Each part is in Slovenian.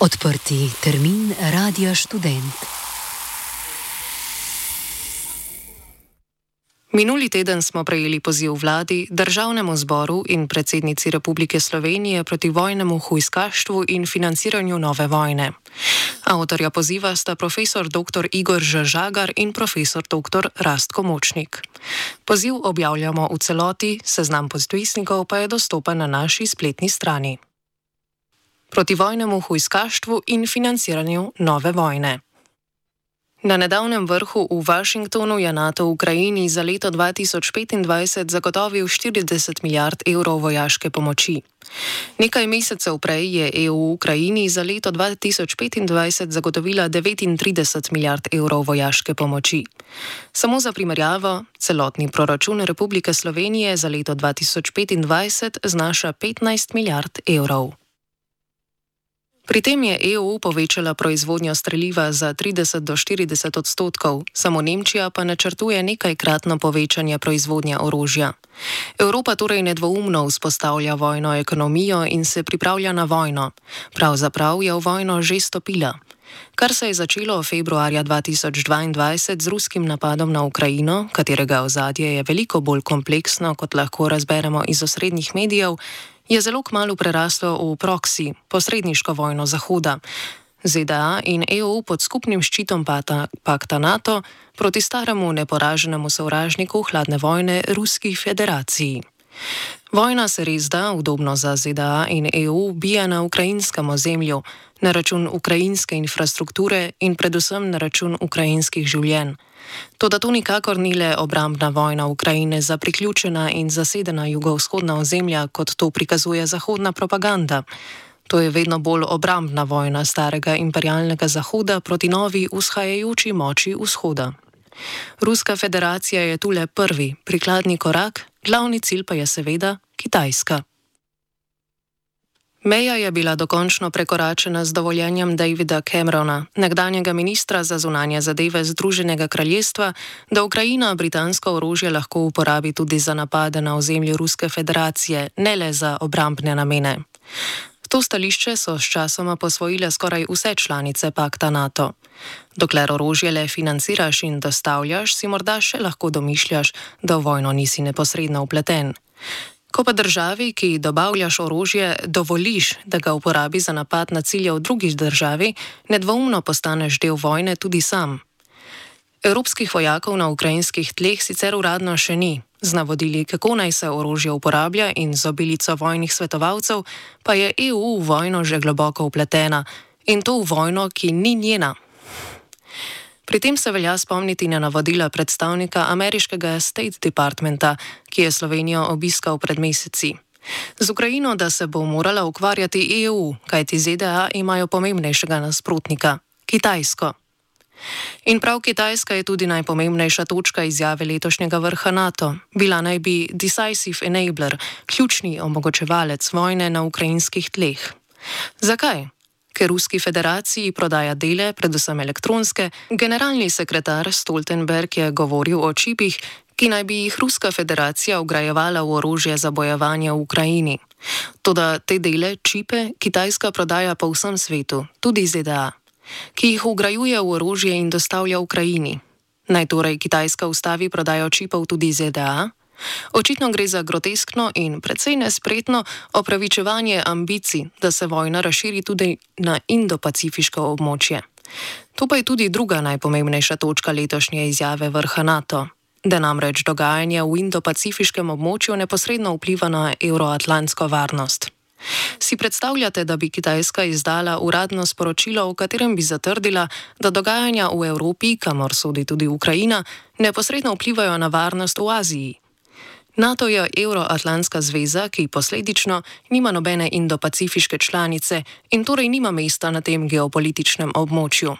Odprti termin Radia Študent. Minuli teden smo prejeli poziv vladi, državnemu zboru in predsednici Republike Slovenije proti vojnemu hujskaštvu in financiranju nove vojne. Avtorja poziva sta profesor dr. Igor Žagar in profesor dr. Rastko Močnik. Poziv objavljamo v celoti, seznam podpisnikov pa je dostopen na naši spletni strani. Proti vojnemu hujskaštvu in financiranju nove vojne. Na nedavnem vrhu v Washingtonu je NATO Ukrajini za leto 2025 zagotovil 40 milijard evrov vojaške pomoči. Nekaj mesecev prej je EU Ukrajini za leto 2025 zagotovila 39 milijard evrov vojaške pomoči. Samo za primerjavo, celotni proračun Republike Slovenije za leto 2025 znaša 15 milijard evrov. Pri tem je EU povečala proizvodnjo streliva za 30 do 40 odstotkov, samo Nemčija pa načrtuje nekajkratno povečanje proizvodnje orožja. Evropa torej nedvoumno vzpostavlja vojno ekonomijo in se pripravlja na vojno. Pravzaprav je v vojno že stopila. Kar se je začelo februarja 2022 z ruskim napadom na Ukrajino, katerega ozadje je veliko bolj kompleksno, kot lahko razberemo iz osrednjih medijev, je zelo kmalu preraslo v proksi, posredniško vojno Zahoda. ZDA in EU pod skupnim ščitom pakta NATO proti staremu neporaženemu sovražniku hladne vojne Ruski federaciji. Vojna se res da, udobno za ZDA in EU, bije na ukrajinskem ozemlju, na račun ukrajinske infrastrukture in predvsem na račun ukrajinskih življenj. Toda to nikakor ni le obrambna vojna Ukrajine za priključena in zasedena jugovzhodna ozemlja, kot to prikazuje zahodna propaganda. To je vedno bolj obrambna vojna starega imperialnega Zahoda proti novi vzhajajoči moči vzhoda. Ruska federacija je tu le prvi, prikladni korak, glavni cilj pa je seveda Kitajska. Meja je bila dokončno prekoračena z dovoljenjem Davida Camerona, nekdanjega ministra za zunanje zadeve Združenega kraljestva, da Ukrajina britansko orožje lahko uporabi tudi za napade na ozemlju Ruske federacije, ne le za obrambne namene. To stališče so sčasoma posvojile skoraj vse članice pakta NATO. Dokler orožje le financiraš in dostavljaš, si morda še lahko domišljaš, da v vojno nisi neposredno vpleten. Ko pa državi, ki dobavljaš orožje, dovoliš, da ga uporabi za napad na cilje v drugi državi, nedvoumno postaneš del vojne tudi sam. Evropskih vojakov na ukrajinskih tleh sicer uradno še ni. Z navodili, kako naj se orožje uporablja in z obilico vojnih svetovalcev, pa je EU v vojno že globoko vpletena. In to v vojno, ki ni njena. Pri tem se velja spomniti na navodila predstavnika ameriškega State Departmenta, ki je Slovenijo obiskal pred meseci. Z Ukrajino, da se bo morala ukvarjati EU, kajti ZDA imajo pomembnejšega nasprotnika – Kitajsko. In prav Kitajska je tudi najpomembnejša točka izjave letošnjega vrha NATO. Bila naj bi decisive enabler, ključni omogočevalec vojne na ukrajinskih tleh. Zakaj? Ker Ruski federaciji prodaja dele, predvsem elektronske, generalni sekretar Stoltenberg je govoril o čipih, ki naj bi jih Ruska federacija vgrajevala v orožje za bojevanje v Ukrajini. Toda te dele, čipe, Kitajska prodaja po vsem svetu, tudi ZDA, ki jih vgrajuje v orožje in dostavlja Ukrajini. Naj torej Kitajska ustavi prodajo čipov tudi ZDA? Očitno gre za groteskno in precej nespretno opravičevanje ambicij, da se vojna razširi tudi na Indo-pacifiško območje. To pa je tudi druga najpomembnejša točka letošnje izjave vrha NATO, da namreč dogajanje v Indo-pacifiškem območju neposredno vpliva na evroatlantsko varnost. Si predstavljate, da bi Kitajska izdala uradno sporočilo, v katerem bi zatrdila, da dogajanja v Evropi, kamor sodi tudi Ukrajina, neposredno vplivajo na varnost v Aziji? NATO je Evroatlantska zveza, ki posledično nima nobene indo-pacifiške članice in torej nima mesta na tem geopolitičnem območju.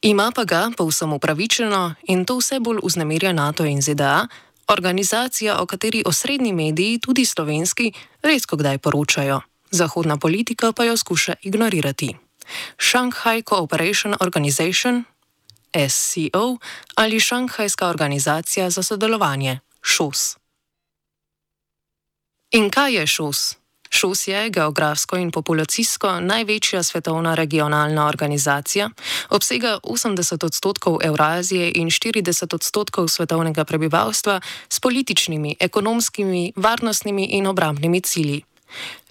Ima pa ga, povsem upravičeno, in to vse bolj vznemirja NATO in ZDA, organizacija, o kateri osrednji mediji, tudi slovenski, redko kdaj poročajo. Zahodna politika pa jo skuša ignorirati. Shanghai Cooperation Organization, SCO, ali Šanghajska organizacija za sodelovanje, ŠOS. In kaj je ŠOS? ŠOS je geografsko in populacijsko največja svetovna regionalna organizacija, obsega 80% Evrazije in 40% svetovnega prebivalstva s političnimi, ekonomskimi, varnostnimi in obrambnimi cilji.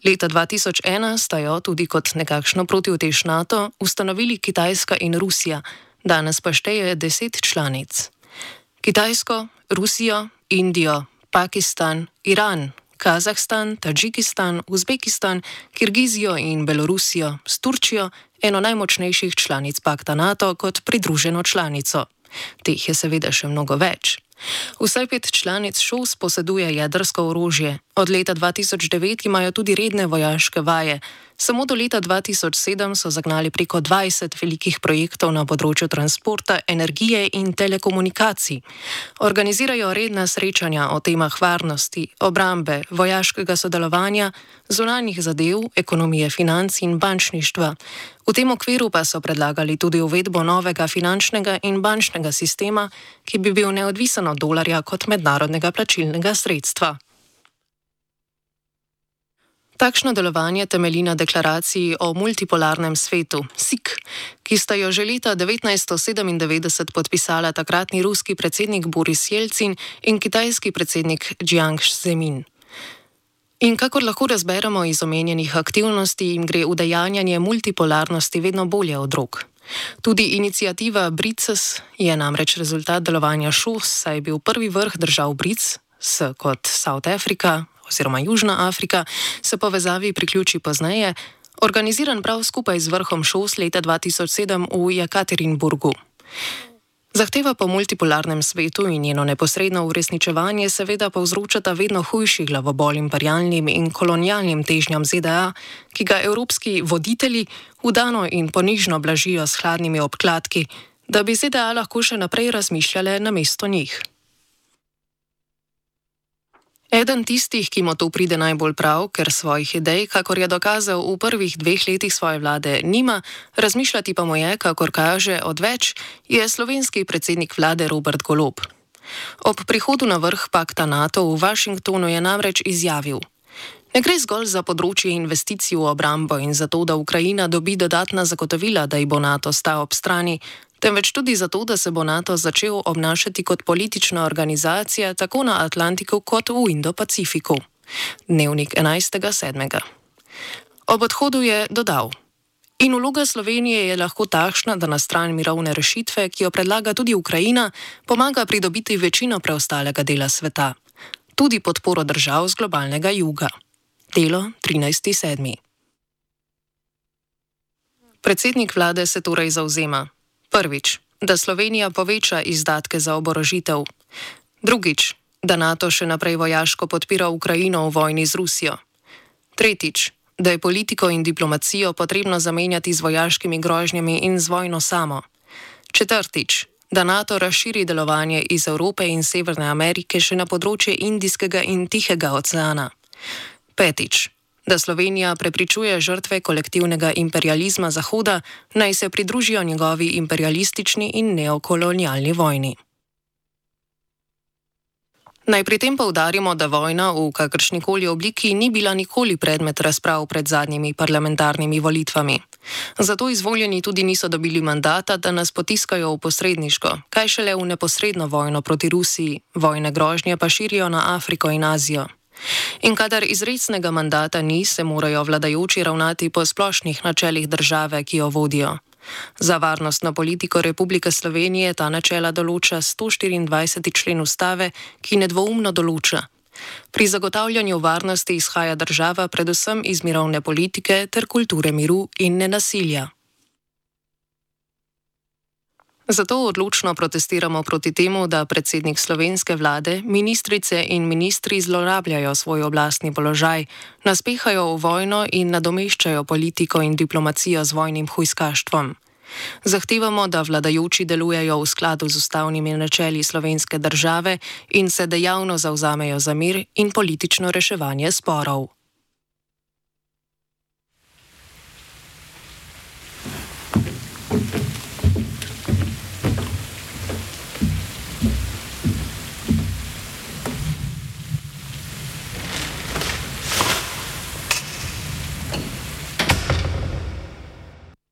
Leta 2001 sta jo tudi kot nekakšno protiutež NATO ustanovili Kitajska in Rusija, danes pa šteje 10 članic. Kitajsko, Rusijo, Indijo, Pakistan, Iran, Kazahstan, Tadžikistan, Uzbekistan, Kirgizijo in Belorusijo s Turčijo, eno najmočnejših članic pakta NATO, kot pridruženo članico. Teh je seveda še mnogo več. Vsaj 5 članic ŠOS poseduje jedrsko orožje. Od leta 2009 imajo tudi redne vojaške vaje. Samo do leta 2007 so zagnali preko 20 velikih projektov na področju transporta, energije in telekomunikacij. Organizirajo redna srečanja o temah varnosti, obrambe, vojaškega sodelovanja, zunanjih zadev, ekonomije financ in bančništva. V tem okviru pa so predlagali tudi uvedbo novega finančnega in bančnega sistema, ki bi bil neodvisen od dolarja kot mednarodnega plačilnega sredstva. Takšno delovanje temelji na deklaraciji o multipolarnem svetu, SIK, ki sta jo že leta 1997 podpisala takratni ruski predsednik Boris Jelcin in kitajski predsednik Jiang Zemin. In kakor lahko razberemo iz omenjenih aktivnosti, jim gre udejanjanje multipolarnosti vedno bolje od rok. Tudi iniciativa BRICS je namreč rezultat delovanja ŠOS, saj je bil prvi vrh držav BRICS, kot South Africa oziroma Južna Afrika, se povezavi priključi pozneje, organiziran prav skupaj z vrhom ŠOS leta 2007 v Jekaterinburgu. Zahteva po multipolarnem svetu in njeno neposredno uresničevanje seveda povzročata vedno hujši glavobol imperialnim in kolonialnim težnjam ZDA, ki ga evropski voditelji vdano in ponižno blažijo s hladnimi obkladki, da bi ZDA lahko še naprej razmišljale namesto njih. Eden tistih, ki mu to pride najbolj prav, ker svojih idej, kakor je dokazal v prvih 2 letih svoje vlade, nima, razmišljati pa mu je, kakor kaže, odveč, je slovenski predsednik vlade Robert Golob. Ob prihodu na vrh pakta NATO v Washingtonu je namreč izjavil: "Ne gre zgolj za področje investicij v obrambo in za to, da Ukrajina dobi dodatna zagotovila, da ji bo NATO stal ob strani, temveč tudi zato, da se bo NATO začel obnašati kot politična organizacija tako na Atlantiku kot v Indo-Pacifiku." Dnevnik 11.7. Ob odhodu je dodal: "In vloga Slovenije je lahko takšna, da na stran mirovne rešitve, ki jo predlaga tudi Ukrajina, pomaga pridobiti večino preostalega dela sveta. Tudi podporo držav z globalnega juga." Delo 13.7. Predsednik vlade se torej zavzema: prvič, da Slovenija poveča izdatke za oborožitev. Drugič, da NATO še naprej vojaško podpira Ukrajino v vojni z Rusijo. Tretjič, da je politiko in diplomacijo potrebno zamenjati z vojaškimi grožnjami in z vojno samo. Četrtič, da NATO razširi delovanje iz Evrope in Severne Amerike še na področje Indijskega in Tihega oceana. Petič, da Slovenija prepričuje žrtve kolektivnega imperializma Zahoda, naj se pridružijo njegovi imperialistični in neokolonialni vojni. Naj pri tem poudarimo, da vojna v kakršnikoli obliki ni bila nikoli predmet razprav pred zadnjimi parlamentarnimi volitvami. Zato izvoljeni tudi niso dobili mandata, da nas potiskajo v posredniško, kaj šele v neposredno vojno proti Rusiji, vojne grožnje pa širijo na Afriko in Azijo. In kadar izrecnega mandata ni, se morajo vladajoči ravnati po splošnih načelih države, ki jo vodijo. Za varnostno politiko Republike Slovenije ta načela določa 124. člen ustave, ki nedvoumno določa: pri zagotavljanju varnosti izhaja država predvsem iz mirovne politike ter kulture miru in nenasilja. Zato odločno protestiramo proti temu, da predsednik slovenske vlade, ministrice in ministri zlorabljajo svoj oblastni položaj, naspehajo v vojno in nadomeščajo politiko in diplomacijo z vojnim hujskaštvom. Zahtevamo, da vladajoči delujejo v skladu z ustavnimi načeli slovenske države in se dejavno zavzamejo za mir in politično reševanje sporov.